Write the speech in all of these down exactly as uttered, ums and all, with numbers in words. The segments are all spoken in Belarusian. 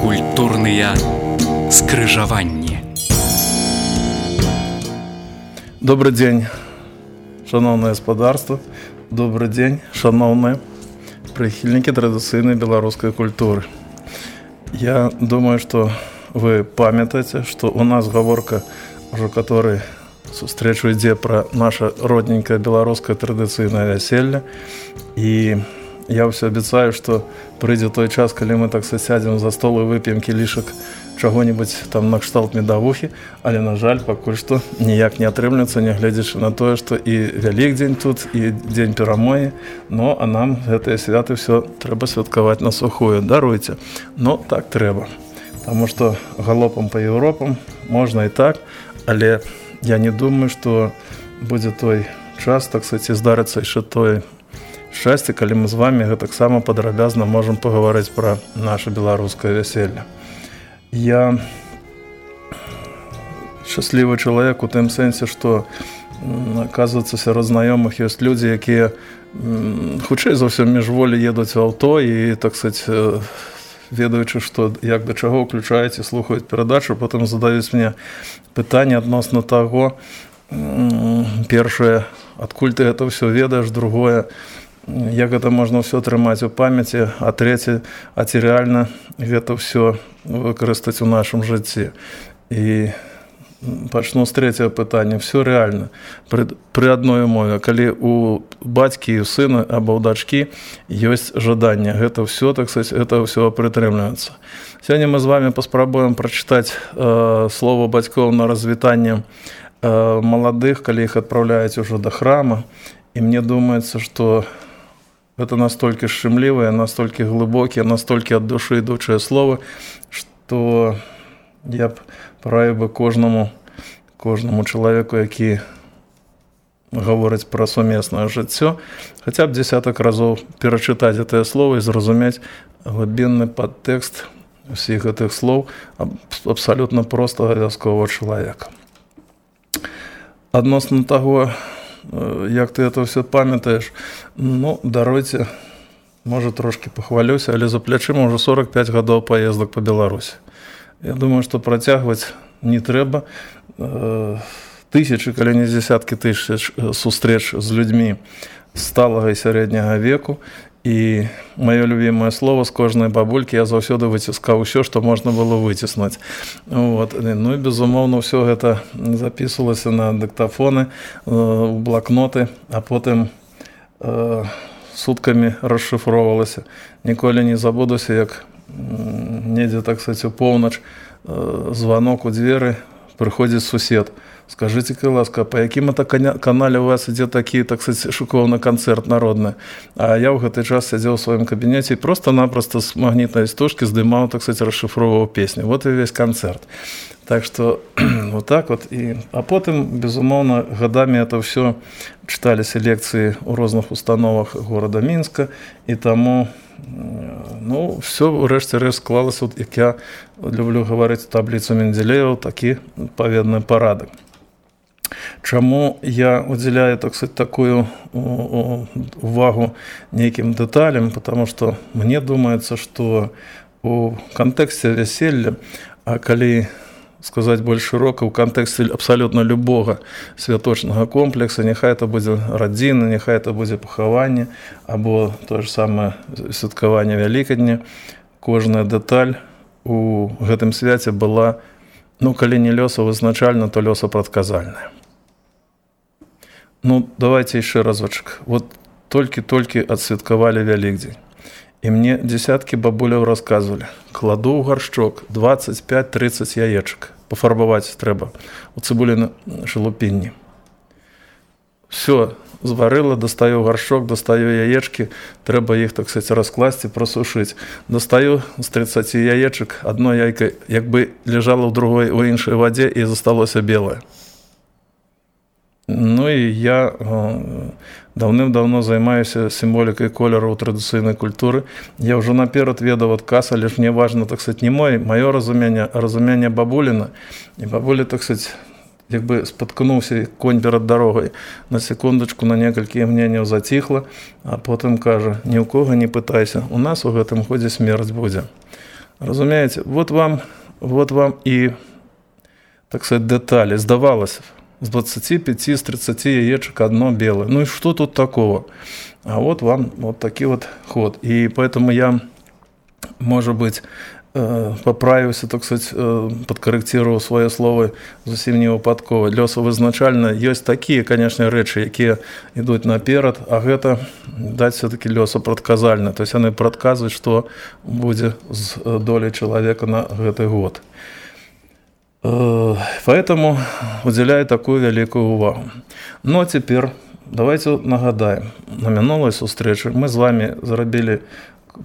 Культурныя скрыжаванні. Добрый день, шановное господарство. Добрый день, шановные прихильники традыцыйнай беларускай культуры. Я думаю, что вы памятаете, что у нас гаворка уже который сустрэчу ідзе про наше родненькое беларускае традыцыйнае вяселле. И я ўсё абяцаю, что прыйдзе той час, калі мы так сядзем за стол і вып'ем кілішак чаго-нибудь там на кшталт медавухі, але, на жаль, пакуль што ніяк не атрымліваецца, нягледзячы на тое, што і Вялікдзень тут, і дзень перамогі, но а нам гэтыя святы ўсё трэба святкаваць на сухую. Даруйце, но так трэба. Таму што галопам па Еўропам можна і так, але я не думаю, што будзе той час, так сказаць, здарыцца яшчэ той шчасце, калі мы з вами гэтаксама падрабязна можам пагаварыць пра наше беларускае вяселле. Я шчаслівы чалавек у тым сэнсе, што, аказваецца, сярод знаёмых ёсць людзі, якія хутчэй за ўсё міжволі едуць у аўто і, так сказаць, ведаючы, што як да чаго ўключаюць і слухаюць перадачу, потым задаюць мне пытанне адносна таго, першае, адкуль ты гэта ўсё ведаеш, другое, як гэта можна ўсё трымаць у памяці, а трэце, а ці рэальна гэта ўсё выкарыстаць у нашым жыцці. І пачну з трэцяга пытання. Всё рэальна. Пры, пры адной умове, калі у бацькі і у сына або ў дачкі ёсць жаданне. Гэта ўсё, так сказаць, гэта ўсё прытрымліваецца. Сёння мы з вами паспрабуем прачытаць э, слова бацькоў на развітанне э, маладых, калі іх адпраўляюць ужо да храма. І мне думаецца, што это настолькі шчымлівыя, настолькі глыбокія, настолькі ад душы ідучыя словы, што я б параіў бы кожнаму, кожнаму чалавеку, які гаворыць пра сумеснае жыццё, хаця б дзесятак разоў перачытаць гэтыя словы і зразумець глыбінны падтэкст усіх гэтых слоў абсалютна простага вясковага чалавека. Адносна таго, як ты это ўсё памятаеш, ну, даруйце, можа, трошкі пахвалюся, але за плячыма ўжо сорок пяць гадоў паездак па Беларусі. Я думаю, што працягваць не трэба. Тысячы, калі не дзесяткі тысяч сустрэч з людзьмі сталага і сярэдняга веку. І маё любімае слово з кожнай бабулькі я заўсёды выціскаў усё, што можна было выціснуць. Вот. Ну і, безумоўна, ўсё гэта запісвалася на дыктафоны, у блакноты, а потым э, суткамі расшыфроўвалася. Ніколі не забудуся, як недзе, так сказаць, у поўнач э, званок у дзверы, прыходзіць сусед. Скажите-ка, ласка, по якім это канале у вас ідзе такі, так сказаць, шуковны канцэрт народны? А я ў гэты час сядзеў у сваім кабінеце і просто-напросто з магнітнай стужкі здымаў, так сказаць, расшыфроўваў песню. Вот і весь канцэрт. Так што, вот так вот. І, а потым, безумоўна, гадамі это ўсё чыталіся лекцыі ў розных установах горада Мінска, і таму, ну, все ўрэшце рэшт склалася, як я люблю гаварыць, табліцу Менделеева, такі паведны парадак. Чаму я удзяляю, так сказать, такую увагу нейкім дэталям, потому что мне думаецца, што у кантэксце вяселля, а калі сказаць больш шырока, у кантэксце абсалютна любога святочнага комплекса, няхай это будзе радзіна, няхай это будзе пахаванне, або тое ж самае святкаванне Вялікадня, кожная дэталь у гэтым свяце была, ну, калі не лёсавызначальна, то лёсапрадказальная. Ну, давайте яшчэ разочек. Вот толькі-толькі адсвяткавалі Вялікдзень. І мне дзесяткі бабуляў расказвалі. Кладу ў гаршчок двадцать пять тридцать яечак. Пафарбаваць трэба у цыбуліны шалупінні. Все, зварыла, дастаю гаршчок, дастаю яечкі, трэба іх, так сказаць, раскласці, прасушыць. Дастаю з тридцати яечак, одно яйка як бы ляжала ў другой, у іншай вадзе і засталося белае. Ну і я даўным-даўно займаюся сімволікай колеру ў традыцыйнай культуры. Я ўжо наперад ведаў адказ, але ж мне важна, так сказаць, не мой, маё разуменне, а разуменне бабуліна. І бабуля, так сказаць, як бы спаткнуўся конь перад дарогай. На секундачку, на некалькі імгненняў заціхла, а потым кажа: ні ў кога не пытайся, у нас у гэтым годзе смерць будзе. Разумеете, вот вам, вот вам и, так сказать, детали. Сдавалось, с двадцати пяти, с тридцати яичек одно белое. Ну и что тут такого? А вот вам вот такой вот ход. И поэтому я, может быть, поправився, так сказать, подкорректировал свое слово зовсім не випадково. Лёсов изначально есть такие, конечно, речи, які идут наперед, а гэта дать все-таки Лёсов предказально. То есть они предказывают, что будет с долей человека на этот год. Поэтому уделяю такую великую увагу. Но теперь давайте нагадаем. На минулой зустрічі мы с вами зробили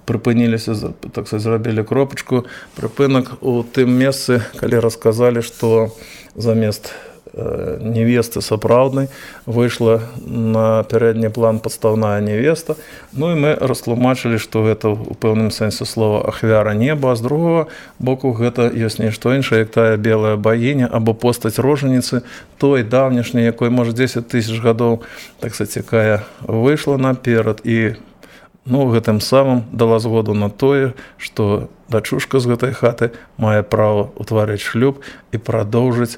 припыніліся, так сказать, зрабілі кропачку, прыпынак у тым месцы, калі расказалі, што замест э, невесты сапраўднай выйшла на пярэдні план падстаўная невеста. Ну і мы растлумачылі, што гэта у пэўным сэнсе слова ахвяра неба, а з другого боку гэта ёсць нешто іншае, як тая белая багіня або постаць рожаніцы, той даўнішняй, якой, можа, дзесяць тысяч гадоў, так сказать, якая выйшла наперад і ну, гэтым самым дала згоду на тое, што дачушка з гэтай хаты мае права ўтварыць шлюб і прадоўжыць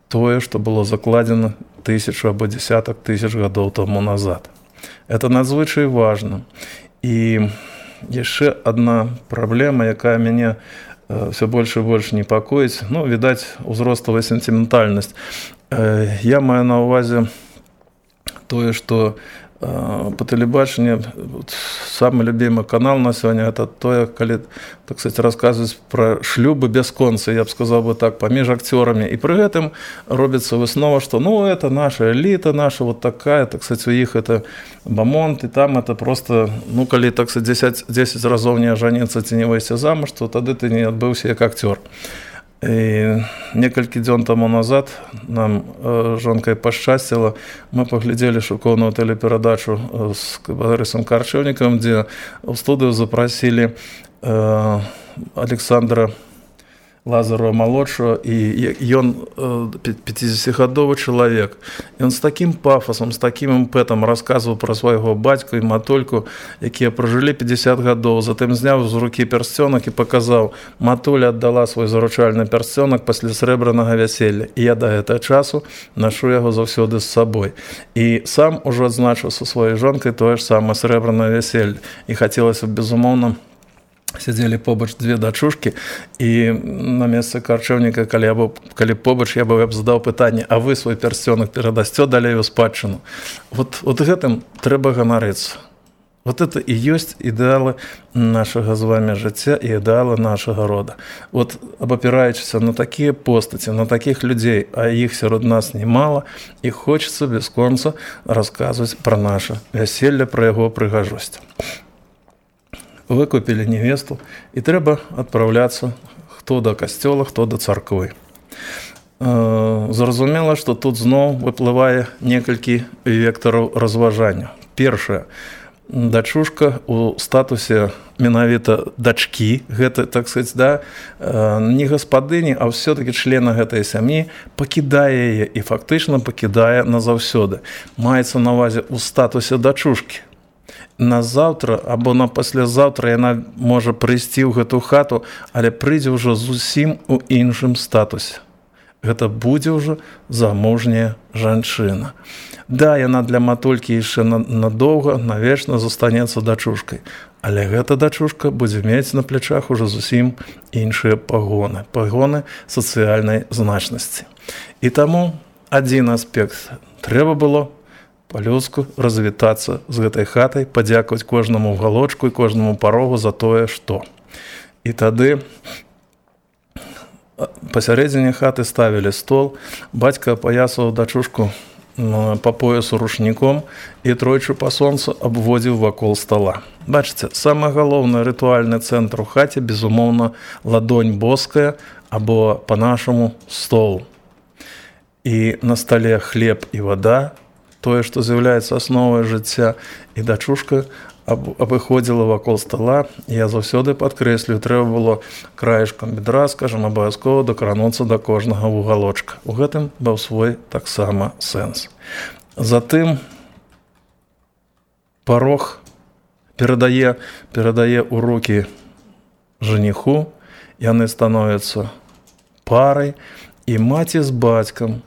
тое, што было закладзена тысячу або десятак тысяч гадоў таму назад. Это надзвычай важна. І яшчэ адна праблема, якая мяне все больше и больше непакоіць, ну, відаць, узростовая сентиментальнасць. Я маю на ўвазе тое, што по телебачению самый любимый канал на сегодня это то, коли, так сказать, рассказывать про шлюбы бясконцы, я бы сказал бы так, поміж актерами. И при этом робится выснова, что ну это наша элита, наша вот такая, так сказать, у них это бамонт, и там это просто, ну коли, так сказать, десять, десять разов не ожениться, ты не выйти замуж, то тогда ты не отбыўся как актер. І некалькі дзён таму назад нам э, жонкай пашчасціла, мы паглядзелі шыкоўную тэлеперадачу з Барысам Карчэўнікам, дзе ў студыю запрасілі э, Александра Лазарова-малодшего, и ён пятидесятигадовый человек. И он с таким пафосом, с таким импетом рассказывал про своего батьку и матульку, якія прожили пятьдесят гадоў. Затым зняў з руки персцёнак и показал, матуля отдала свой заручальны персцёнак пасля срэбранага вяселля. И я до гэтага часу ношу яго заўсёды з сабой. И сам ужо адзначыў са сваёй жонкай тое ж самае срэбранае вяселле. И хацелася б, безумоўна, сидели побач две дачушки, и на месцы Карчэўніка, калі, я б, калі побач, я бы задаў пытанне, а вы свой персцёнак перадасцё далей у спадчыну. Вот, вот гэтым трэба ганарыцца. Вот это и есть идеалы нашего с вами жыцця и идеалы нашего рода. Вот абапіраючыся на такие постаці, на таких людей, а их сярод нас немало, и хочется без конца рассказывать про наше вяселле, про его прыгажосць. Выкупили невесту, и трэба отправляться хто до касцёла, хто до царквы. Зразумела, што тут зноў выплывае некалькі вектараў разважання. Першае, дачушка у статусе менавіта дачкі, гэта, так сказать, да, не гаспадыні, а ўсё-таки члена гэтай сям'і, пакідае яе і фактычна пакідае назаўсёды. Маецца на ўвазе у статусе дачушкі. На заўтра або на паслязаўтра яна можа прыйсці ў гэту хату, але прыйдзе ўжо зусім у іншым статусе. Гэта будзе ўжо замужняя жанчына. Да, яна для матулькі яшчэ надоўга, навечна застанецца дачушкай, але гэта дачушка будзе мець на плячах ужо зусім іншыя пагоны, пагоны сацыяльнай значнасці. І таму адзін аспект трэба было по-людску развітацца з гэтай хатай, падзякаваць кожнаму уголочку і кожнаму парогу за тое, што. І тады пасярэдзіне хаты ставілі стол, бацька апаясаваў дачушку по поясу рушніком і тройчы па сонцу абводзіў вакол стола. Бачыце, самы галоўны рытуальны цэнтр у хаце, безумоўна, ладонь боская або па-нашаму стол. І на стале хлеб і вада, тое, што з'яўляецца асновай жыцця, і дачушка абыходзіла вакол стола. Я заўсёды падкрэслю, трэба было краешкам бедра, скажам, абавязкова дакрануцца да кожнага вугалочка. У гэтым быў свой таксама сэнс. Затым парог перадае, перадае ў рукі жаніху яны становяцца парай, і маці з бацькам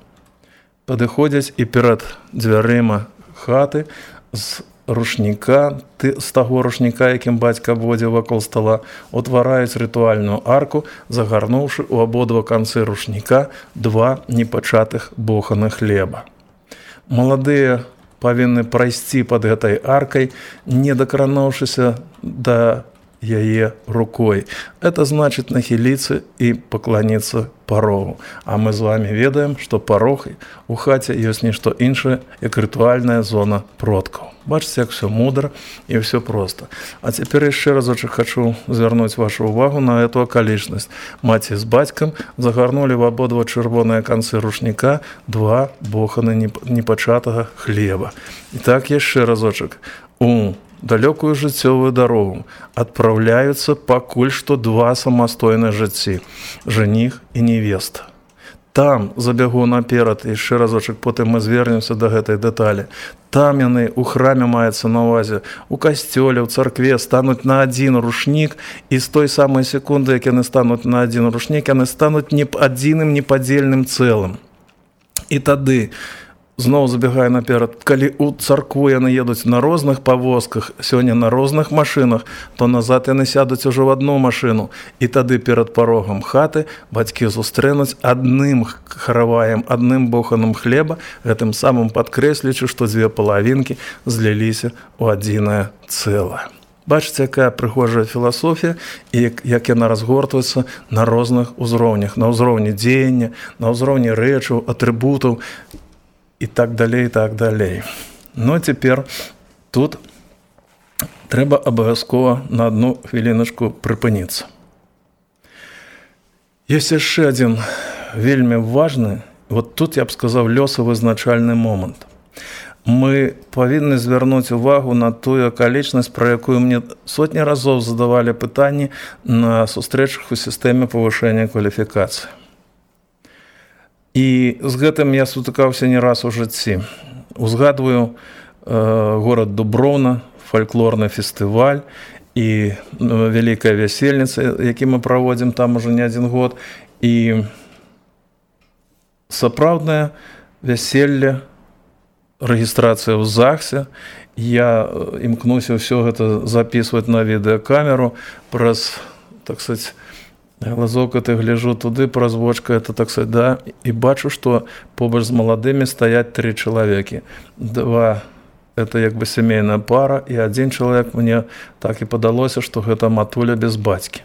падыходзяць і перад дзвярыма хаты з рушніка, з таго рушніка, якім бацька абводзіў вакол стала, утвараюць рытуальную арку, загарнуўшы ў абодва канцы рушніка два непачатых боханы хлеба. Маладыя павінны прайсці пад гэтай аркай, не дакрануўшыся да яе рукой. Это значит нахилиться и поклониться порогу. А мы з вами ведаем, что порог у хаце ёсць нішто іншае, як рытуальная зона продкаў. Бачыце, як все мудро и все просто. А цяпер яшчэ разочек хочу звярнуць вашу увагу на эту акалічнасць. Маці з бацькам загарнули в абодва чырвоныя канцы рушніка два боханы непачатага хлеба. І так яшчэ разочек. У далёкую жыццёвую дарогу адпраўляюцца пакуль што два самастойныя жыцці – жаніх і невеста. Там забягу наперад, яшчэ разочак, потым мы звернемся да гэтай дэталі. Там яны ў храме маецца на ўвазе, у касцёле, ў царкве стануць на адзін рушнік, і з той самай секунды, як яны стануць на адзін рушнік, яны стануць не адзіным непадзельным цэлым. І тады зноў забегаю наперад, калі у царкву яны едуць на розных павозках, сёння на розных машынах, то назад яны сядуць ужо в одну машыну. І тады перад парогам хаты бацькі сустрэнуць адным хараваем, адным боханым хлеба, гэтым самым падкрэслічы, што дзве палавінкі зліліся ў адзінае цэлае. Бачыце, якая прыгожая філасофія, і як яна разгортваецца на розных узроўнях, на ўзроўні дзеяння, на ўзроўні рэчаў, атрыбутаў, и так далее, и так далее. Но теперь тут треба обовязково на одну хвилиночку припиниться. Есть еще один вельми важный, вот тут я б сказав, лёсавызначальны момент. Мы повинны звярнуць увагу на тую акалічнасць, про якую мне сотні разоў задавали пытанні на сустрэчах у сістэме павышэння кваліфікацыі. І з гэтым я сутыкаўся не раз у жыцці. Узгадваю э, горад Дубровна, фальклорны фестываль і э, вялікая вясельніца, які мы праводзім там уже не адзін год. І сапраўднае вяселле, рэгістрацыя ў ЗАГСе. Я імкнуся ўсё гэта записываць на відэакамеру праз, так сказать, глазок это гляжу туды, праз вочка это, так сказать, да, и бачу, что побач з маладымі стаять три человеки. Два это як бы семейная пара, и один человек, мне так и падалося, что гэта матуля без бацькі.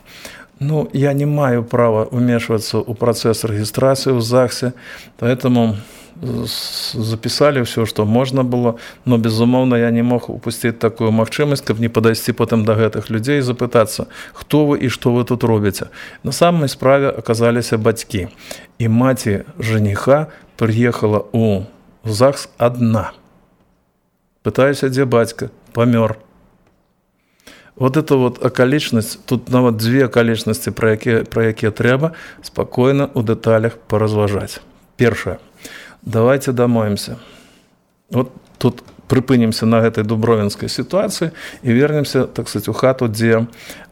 Ну, я не маю права умешиваться у процесс регистрации в ЗАГСе, поэтому записали все, что можно было, но, безумоўна, я не мог упустить такую магчымасць, каб не падайсці потым да гэтых людзей і запытацца, хто вы і што вы тут робіце. На самой справе аказаліся бацькі, і маці жаніха прыехала ў ЗАГС адна. Пытаюся, дзе бацька? Памёр. Вот это вот акалічнасць, тут нават две акалічнасці, пра якія, пра якія трэба спакойна ў дэталях паразважаць. Першае. Давайте домоемся. Вот тут припынимся на этой дубровинской ситуации и вернемся, так сказать, у хату, где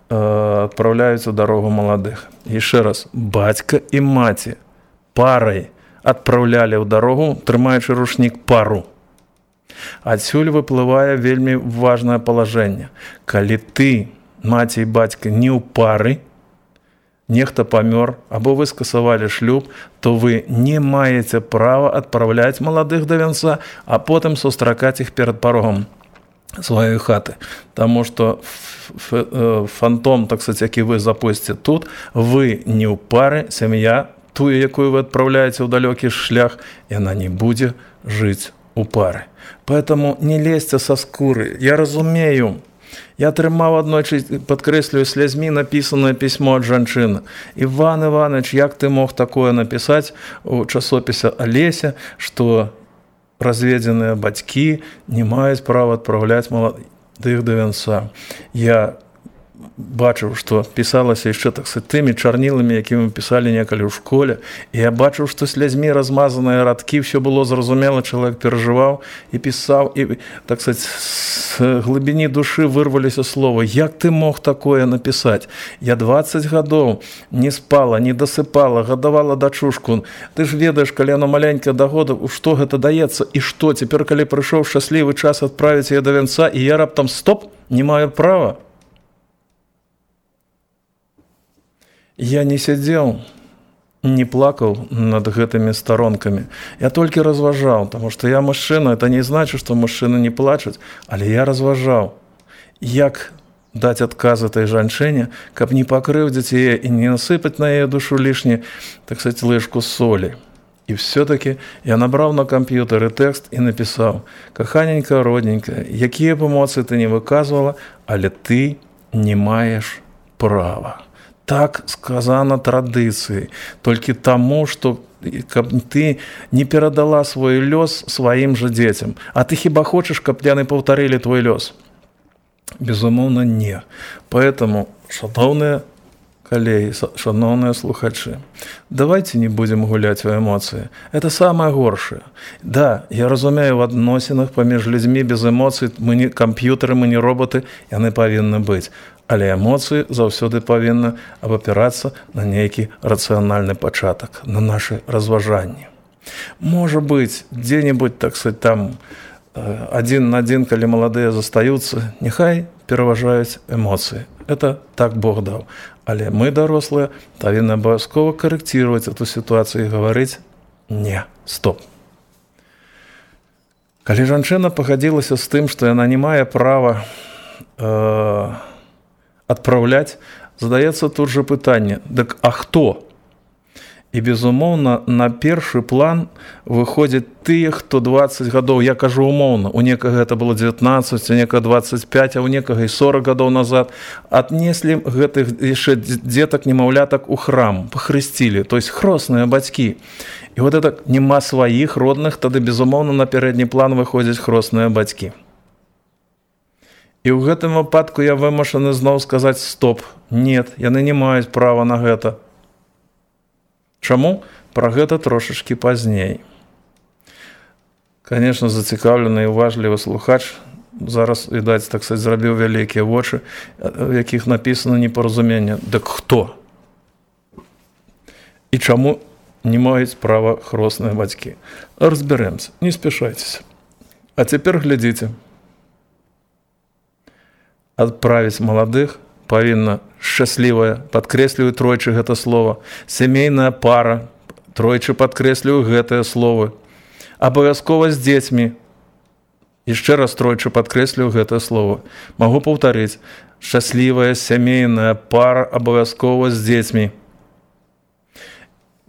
э, отправляются в дорогу молодых. Еще раз, батька и маті парой отправляли в дорогу, трымаючы рушник пару. Адсюль выплывае вельмі важное положение. Калі ты, маці и батька, не ў пары, нехта памёр, або вы скасавалі шлюб, то вы не маеце права адпраўляць маладых да вянца, а потым сустракаць іх перад парогам сваёй хаты. Таму што фантом, так сказать, які вы запусціце тут, вы не ў пары, сям'я, тую, якую вы адпраўляеце ў далёкі шлях, яна не будзе жыць у пары. Поэтому не лезьте со скуры. Я разумею, я атрымаў аднойчы, падкрэслюю, слязьмі напісанае пісьмо ад жанчыны. Іван Іванович, як ты мог такое напісаць у часопісе Алеся, што разведзеныя бацькі не маюць права адпраўляць маладых да вянца. Я бачыў, што пісалася яшчэ так сказать, тымі чарніламі, якімі пісалі некалі ў школе, і я бачыў, што слязьмі размазаныя радкі, все было зразумела, чалавек перажываў і пісаў, і так сказать, з глыбіні душы вырваліся слова: як ты мог такое напісаць? Я дваццаць гадоў не спала, не дасыпала, гадавала дачушку. Ты ж ведаеш, калі яно маленькае да года, што гэта даецца і што? Цяпер, калі прыйшоў шчаслівы час адправіць яе да вянца, і я раптам стоп, не маю права. Я не сядзеў, не плакаў над гэтымі старонкамі. Я толькі разважаў, таму што я мужчына, это не значыць, што мужчыны не плачуць, але я разважаў, як даць адказ этой жанчыне, каб не пакрыўдзіць яе і не насыпаць на яе душу лішні, так сказать, лыжку солі. І все-таки я набраў на камп'ютары тэкст і напісаў: каханенька, родненькая, якія б эмоцыі ты не выказвала, але ты не маеш права. Так сказано традыцыяй, толькі таму, што каб ты не перадала свой лёс сваім жа дзецям. А ты хіба хочаш, каб яны паўтарылі твой лёс? Безумоўна, не. Поэтому, шановныя коллеги, шановные слухачи, давайте не будем гулять в эмоции. Это самое горшее. Да, я разумею, в адносінах паміж людьми без эмоций мы не компьютеры, мы не роботы, яны павінны быць. Але эмоцыі заўсёды павінны абапірацца на нейкі рацыянальны пачатак, на нашы разважанні. Можа быць, дзе-небудзь, так сказать, там адзін на адзін, калі маладыя застаюцца, няхай пераважаюць эмоцыі. Это так Бог даў. Але мы, дарослыя, павінны абавязкова карэкціраваць эту сітуацыю і гаварыць: не, стоп. Калі жанчына пагадзілася з тым, што яна не мае права э, адпраўляць, задаецца тут жа пытанне: дык а хто? І, безумоўна, на першы план выходзяць тыя, хто дваццаць гадоў, я кажу умоўна, у некага гэта было дзевятнаццаць, у некага дваццаць пяць, а у некага і сорак гадоў назад, аднеслі гэтых яшчэ дзетак, немаўлятак у храм, пахрысцілі, то есть хросныя бацькі. І вот это нема сваіх родных, тады, безумоўна, на пярэдні план выходзяць хросныя бацькі. І ў гэтым выпадку я вымушаны зноў сказаць: стоп, нет, яны не маюць права на гэта. Чаму? Пра гэта трошачкі пазней. Конечно, зацікаўлены і уважлівы слухач зараз, відаць, так сказать, зрабіў вялікія вочы, в якіх напісана непаразуменне. Дык хто? І чаму не маюць права хросныя бацькі? Разбярэмся, не спяшайцеся. А цяпер глядзіце. Адправіць маладых павінна шчаслівая, падкрэсліваю тройчы гэта слова, сямейная пара, тройчы падкрэсліваю гэтыя словы, абавязкова з дзецьмі, яшчэ раз тройчы падкрэсліваю гэтыя словы. Магу паўтарыць: шчаслівая сямейная пара, абавязкова з дзецьмі.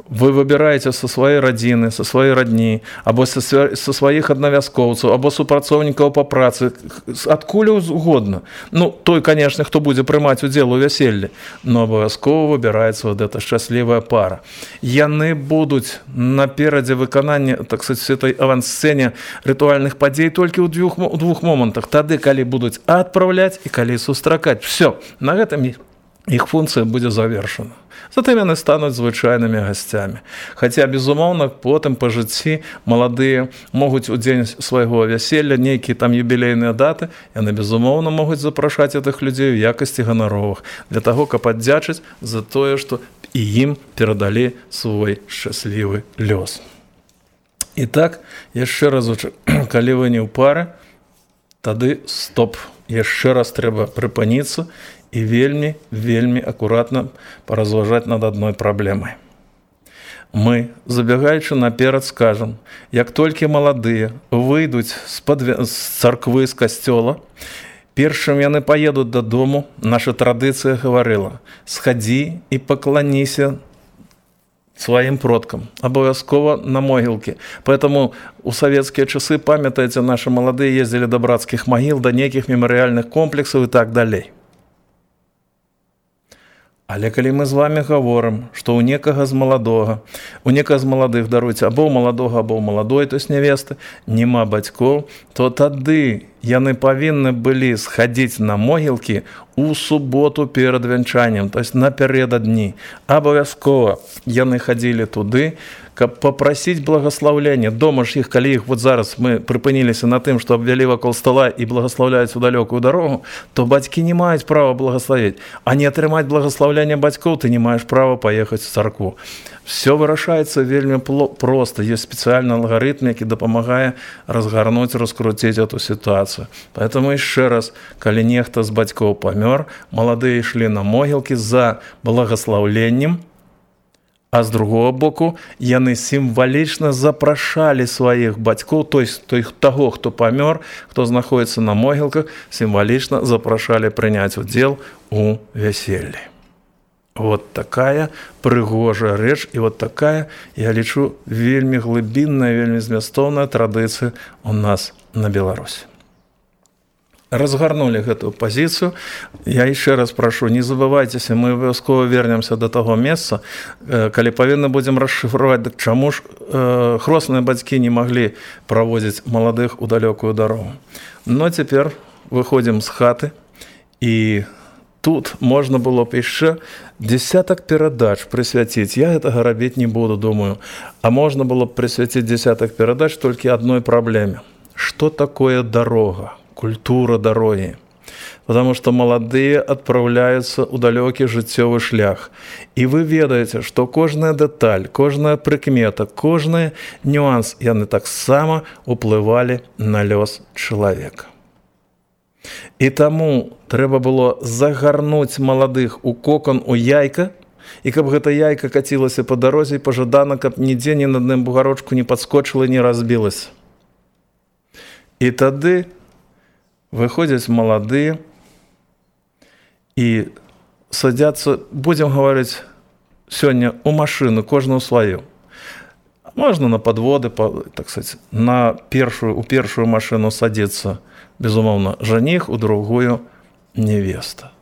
Вы выбираете со своей родины, со своей родни, або со, со своих одновязкоўцаў, або супрацоўнікаў по працы, адкуль угодно. Ну, той, конечно, хто будзе прымаць удзел у вяселлі, но абавязкова выбіраецца вот эта шчаслівая пара. Яны будуць наперадзе выканання, так сказать, этой авансцэне рытуальных падзей толькі ў двух, у двух момантах. Тады, калі будуць адпраўляць і калі сустракаць. Все, на гэтым іх функцыя будзе завершана. Затым яны стануць звычайнымі гасцямі. Хаця, безумоўна, потым па жыцці маладыя могуць у дзень свайго вяселля, нейкія там юбілейныя даты, яны, безумоўна, могуць запрашаць гэтых людзей у якасці ганаровых, для таго, каб аддзячыць за тое, што і ім перадалі свой шчаслівы лёс. І так, яшчэ разочак, калі вы не ў пары, тады стоп, яшчэ раз трэба прыпыніцца і вельмі, вельмі акуратна паразважаць над адной праблемай. Мы, забягаючы наперад, скажам, як толькі маладыя выйдуць з царквы, з касцёла, першым яны паедуць дадому, наша традыцыя гаварыла: схадзі і пакланіся сваім продкам, абавязкова на могілкі. Поэтому у савецкія часы, памятаеце, нашы маладыя ездзілі да брацкіх магіл, да нейкіх мемарыяльных комплексаў і так далей. Але калі мы з вами гаворым, што ў некага з маладога, у некага з маладых, даруйце, або ў маладога, або ў маладой, то есть невесты, няма бацькоў, то тады яны павінны былі схадзіць на могілкі у суботу перад вянчаннем, то есть напярэдадні. Абавязкова яны хадзілі туды, каб папрасіць благаслаўлення. Дома ж іх, калі іх вот зараз мы прыпыніліся на тым, што абвялі вакол стала і благаслаўляюць у далёкую дарогу, то бацькі не маюць права благаславіць. А не атрымаць благаслаўлення бацькоў ты не маеш права паехаць у царкву. Все вырашаецца вельмі проста. Ёсць спецыяльны алгарытм, які дапамагае разгарнуць, раскруціць эту сітуацыю. Поэтому яшчэ раз, калі нехта з бацькоў памёр, маладыя ішлі на могілкі за благаслаўленнем, а з другого боку, яны сімвалічна запрашалі сваіх бацькоў, то есть той, таго, хто памёр, хто знаходзіцца на могілках, сімвалічна запрашалі прыняць удзел у вяселлі. Вот такая прыгожая рэч, і вот такая, я лічу, вельмі глыбінная, вельмі змястоўная традыцыя у нас на Беларусі. Разгарнули гэтую пазіцыю. Я яшчэ раз прашу, не забывайцеся, мы абавязкова вернемся до таго месца, калі павінны будзем расшыфраваць, дык чаму ж э, хросныя бацькі не маглі праводзіць маладых у далёкую дарогу. Но цяпер выходзім з хаты, і тут можна было б яшчэ десятак перадач прысвяціць. Я гэтага рабіць не буду, думаю. А можна было б прысвяціць десятак перадач толькі адной праблеме. Што такое дарога? Культура дороги. Потому что молодые отправляются ў далёкі жыццёвы шлях. І вы ведаеце, што кожная дэталь, кожная прыкмета, кожны нюанс, яны таксама уплывалі на лёс чалавека. І таму трэба было загарнуць маладых у кокон, у яйка, і каб гэта яйка кацілася па дарозе, пажадана, каб нідзе ні на адным бугарочку не падскочыла, не разбілася. І тады выходзяць маладыя і садзяцца, будзем гаварыць сёння, у машыну, кожную сваю. Можна на падводы, так сказать, на першую, у першую машыну садзіцца, безумоўна, жаніх, у другую невеста.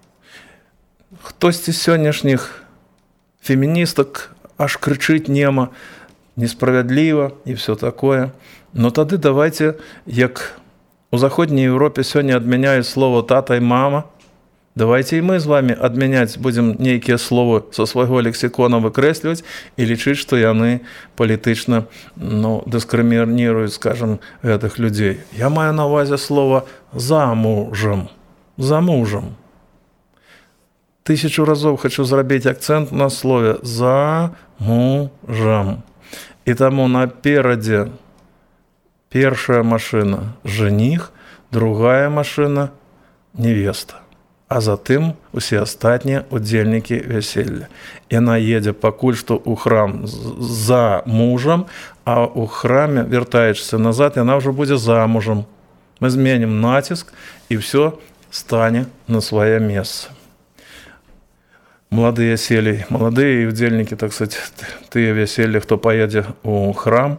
Хтосьці з сённяшніх феміністак аж крычыць нема, несправядліва і все такое. Но тады давайте, як у заходняй Европе сёння адмяняюць слово тата і мама, давайте і мы з вами адмяняць будзем нейкія словы са свайго лексікона выкрэсліваць і лічыць, што яны палітычна, ну, дыскрымініруюць, скажем, гэтых людзей. Я маю на ўвазе слово замужам. Замужам. Тысячу разоў хочу зрабіць акцэнт на слове замужам. І таму наперадзе першая машина – жених, другая машина – невеста. А затым усе астатнія удзельнікі вяселля. Яна едзе пакуль што ў храм за мужам, а ў храме, вяртаючыся назад, яна ўжо будзе замужам. Мы зменім націск, і ўсё стане на свае месца. Маладыя селі, маладыя удзельнікі, так сказать, тыя вяселлі, хто паедзе ў храм,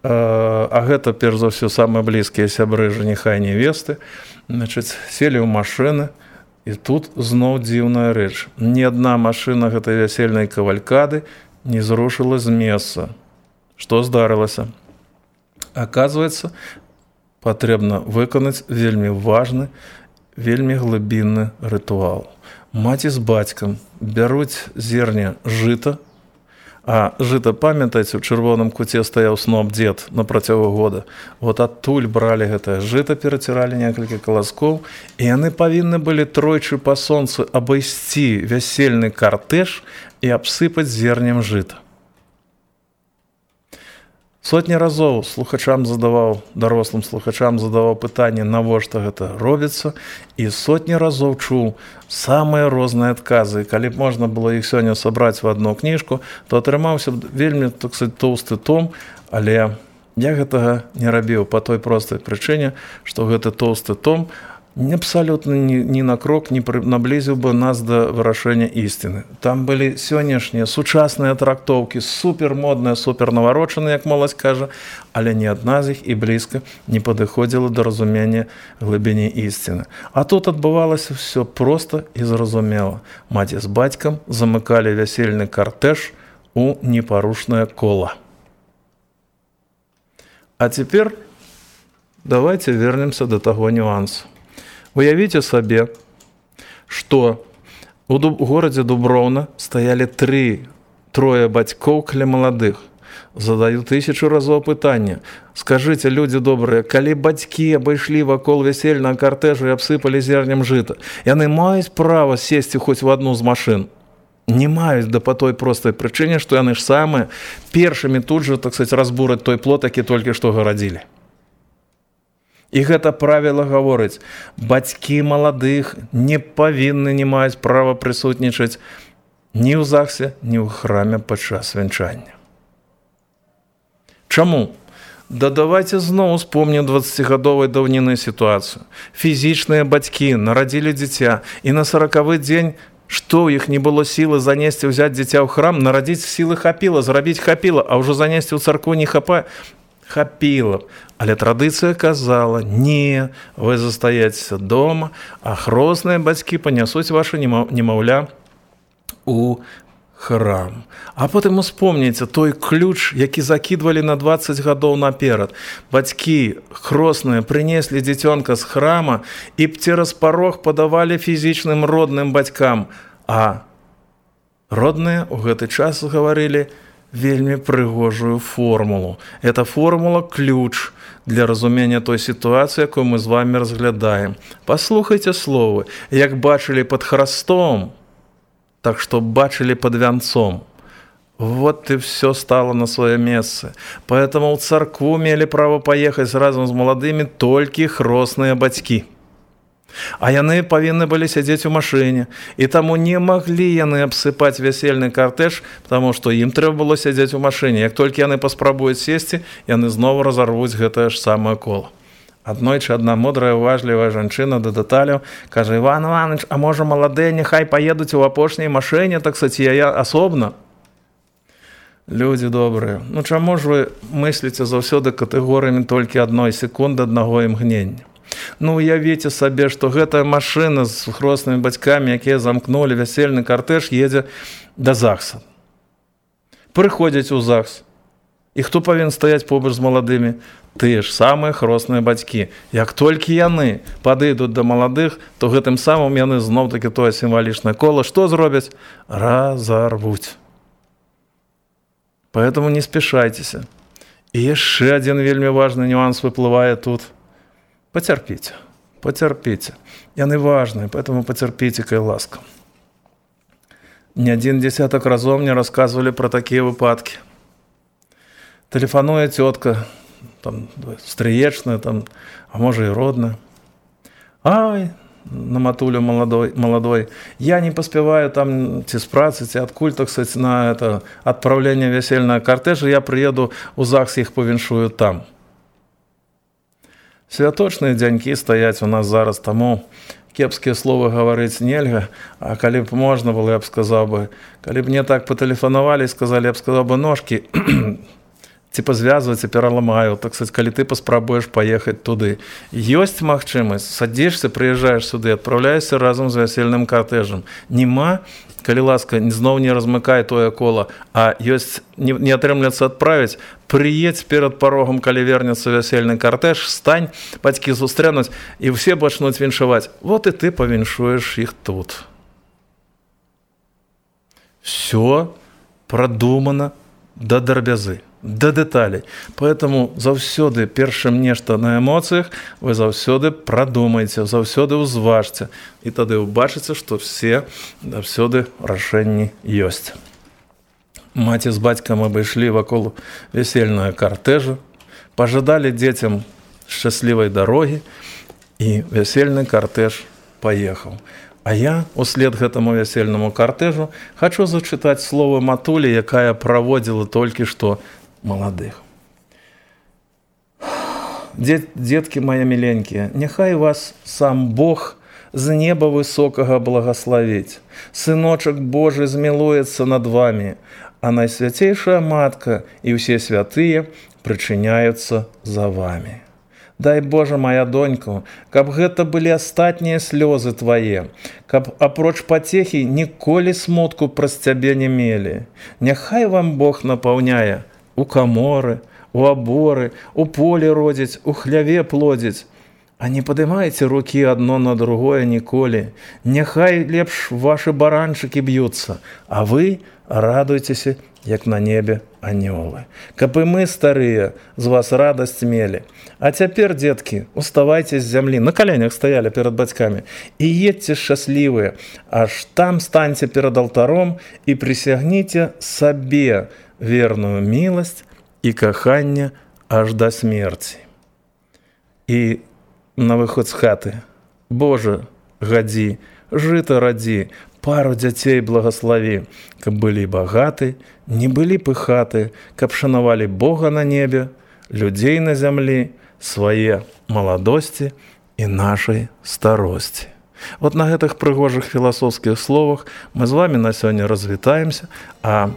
а гэта, перш за ўсё, самыя блізкія сябры жаніха і невесты, значыць, селі ў машыны, і тут зноў дзіўная рэч. Ні адна машына гэтай вясельнай кавалькады не зрушыла з месца. Што здарылася? Аказваецца, патрэбна выканаць вельмі важны, вельмі глыбінны рытуал. Маці з бацькам бяруць зерне жыта, а жыта, памятаеце, у чырвоным куце стаяў сноп дзед на працягу года. Вот адтуль бралі гэтае жыта, пераціралі некалькі каласкоў, і яны павінны былі тройчы па сонцы абайсці вясельны картэж і абсыпаць зернем жыта. Сотні разоў слухачам задаваў, дарослым слухачам задаваў пытанне, навошта гэта робіцца, і сотні разоў чуў самыя розныя адказы. Калі б можна было іх сёння сабраць в одну кніжку, то атрымаўся б вельмі, так сказать, тоўсты том, але я гэтага не рабіў па той простай прычыне, што гэты тоўсты том абсолютно ни, ни на крок не наблизил бы нас до вырашэння ісціны. Там былі сённяшнія сучасныя трактоўкі, супермодныя, супернаварочаныя, як моладзь кажа, але ні адна з іх і блізка не падыходзіла да разумення глыбіні ісціны. А тут адбывалася все проста і зразумела. Маці з бацькам замыкалі вясельны картэж у непарушнае кола. А цяпер давайте вернемся до таго нюансу. Уявіце сабе, што у горадзе Дуброўна стаялі тры, трое бацькоў каля маладых. Задаю тысячу разоў пытанне. Скажыце, людзі добрыя, калі бацькі абышлі вакол вясельнага картэжу і абсыпалі зернем жыта, яны маюць права сесці хоць в адну з машын? Не маюць, да па той простай прычыне, што яны ж самыя першымі тут жа, так сказаць, разбураць той плот, які толькі што гарадзілі. І гэта правіла гаворыць, бацькі маладых не павінны, не маюць права прысутнічаць ні ў ЗАГСе, ні ў храме падчас вянчання. Чаму? Да давайте зноў успомнім дваццацігадовай даўніны сітуацыю. Фізічныя бацькі нарадзілі дзіця, і на саракавы дзень, што ў іх не было сілы занесці, ўзяць дзіця ў храм, нарадзіць сілы хапіла, зрабіць хапіла, а ўжо занесці ў царкву не хапае. Хапіла. Але традыцыя казала, не, вы застаецеся дома, а хросныя бацькі панясуць ваша немаўля у храм. А потым успомніце той ключ, які закідвалі на дваццаць гадоў наперад. Бацькі хросныя прынеслі дзіцёнка з храма і цераз парог падавалі фізічным родным бацькам. А родныя ў гэты час гаварылі вельмі прыгожую формулу. Эта формула-ключ для разумення той сітуацыі, якую мы з вами разглядаем. Паслухайце словы, як бачылі пад храстом, так што бачылі пад вянцом. Вот и все стало на свое место. Поэтому в церкву мели право поехать разом з маладымі толькі хросныя бацькі. А яны павінны былі сядзець у машыне, і таму не маглі яны абсыпаць вясельны картэж, потому што ім трэба было сядзець у машыне. Як толькі яны паспрабуюць сесці, яны зноwu разарвуць гэтае ж самае кола. Аднойчы адна мудрая, уважлівая жанчына да дэталяў кажа: Іван Іванович, а можа маладыя няхай паедуць у апошняй машыне, так сказаць, я асобна? Людзі добрыя, ну чаму ж вы мысліце заўсёды катэгорыямі толькі адной секунды, аднаго імгнення? Ну, уявіце сабе, што гэтая машына з хроснымі бацькамі, якія замкнулі вясельны картэж, едзе да ЗАГСа. Прыходзяць у ЗАГС. І хто павінен стаяць побач з маладымі? Тыя ж самыя хросныя бацькі. Як толькі яны падыдуць да маладых, то гэтым самым яны зноў-такі тое сімвалічнае кола што зробяць? Разарвуць. Поэтому не спешайтеся. І яшчэ адзін вельмі важны нюанс выплывае тут. Потерпите, потерпите. Яны важные, поэтому потерпите, кай ласка. Не один десяток разов мне рассказывали про такие выпадки. Телефонует тетка, там, стріечная, там, а может и родная. Ай, на матулю молодой, молодой, я не поспеваю там ці з працы, ці адкуль, так сказать, на это отправление весельного кортежа, я приеду у ЗАГС, их повіншую там. Святочныя дзянькі стаяць у нас зараз, таму кепскія словы гаварыць нельга, а калі б можна было, я б сказаў бы, калі б мне так патэлефанавалі і сказалі, я б сказаў бы, ножкі ці пазвязваць і пераламаю, так сказаць, калі ты паспрабуеш паехаць туды. Ёсць магчымасць, садзішся, прыязджаеш сюды, адпраўляешся разам з вясельным картэжам. Нема, калі ласка, зноў не размыкай тое кола, а ёсць, не, не атрымляцца адправіць, прыедзь перад парогам, калі вернецца вясельны картэж, стань, бацькі сустрэнуць, і ўсе пачнуць віншаваць. Вот і ты павіншуеш іх тут. Все продумано до драбязы, до деталей. Поэтому заўсёды першым нешта на эмоцыях вы заўсёды прадумайце, заўсёды ўзважце. І тады ўбачыце, што все заўсёды рашэнні ёсць. Маці з бацькам абышлі вакол весельнага картэжа, пажадалі дзецям шчаслівай дарогі, і весельны картэж паехаў. А я, услед гэтаму весельнаму картэжу, хачу зачытаць словы матулі, якая праводзіла толькі што маладых. Дет, детки мои миленькие, няхай вас сам Бог з неба высокага благословить. Сыночек Божий змилуется над вами, а Найсвятейшая Матка и все святые причиняются за вами. Дай Боже, моя доньку, каб гэта былі астатнія слёзы твае, каб апроч патехі ніколі смутку праз цябе не мелі. Няхай вам Бог напаўняе у каморы, у аборы, у полі родзіць, у хляве плодзіць. А не падымайце рукі адно на другое ніколі. Няхай лепш ваши баранчыкі б'юцца, а вы радуйцеся, як на небе анёлы. Каб і мы, старыя, з вас радасць мелі. А цяпер, дзеткі, уставайце з зямлі, на каленях стаялі перад бацькамі, і едьце шчаслівыя, аж там станьце перад алтаром і прысягніце сабе верную міласць і каханне аж да смерці. І на выход з хаты: Боже, гадзі, жыта радзі, пару дзяцей благослови, каб былі багаты, не былі пыхаты, каб шанавалі Бога на небе, людзей на зямлі, свае маладосці і нашай старосці. Вот на гэтых прыгожых філасофскіх словах мы з вами на сёння развітаемся, а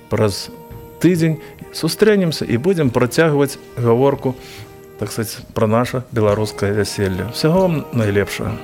праз тыдзень сустрэнемся і будзем працягваць гаворку, так сказать, про наше беларускае вяселле. Всего вам найлепшага.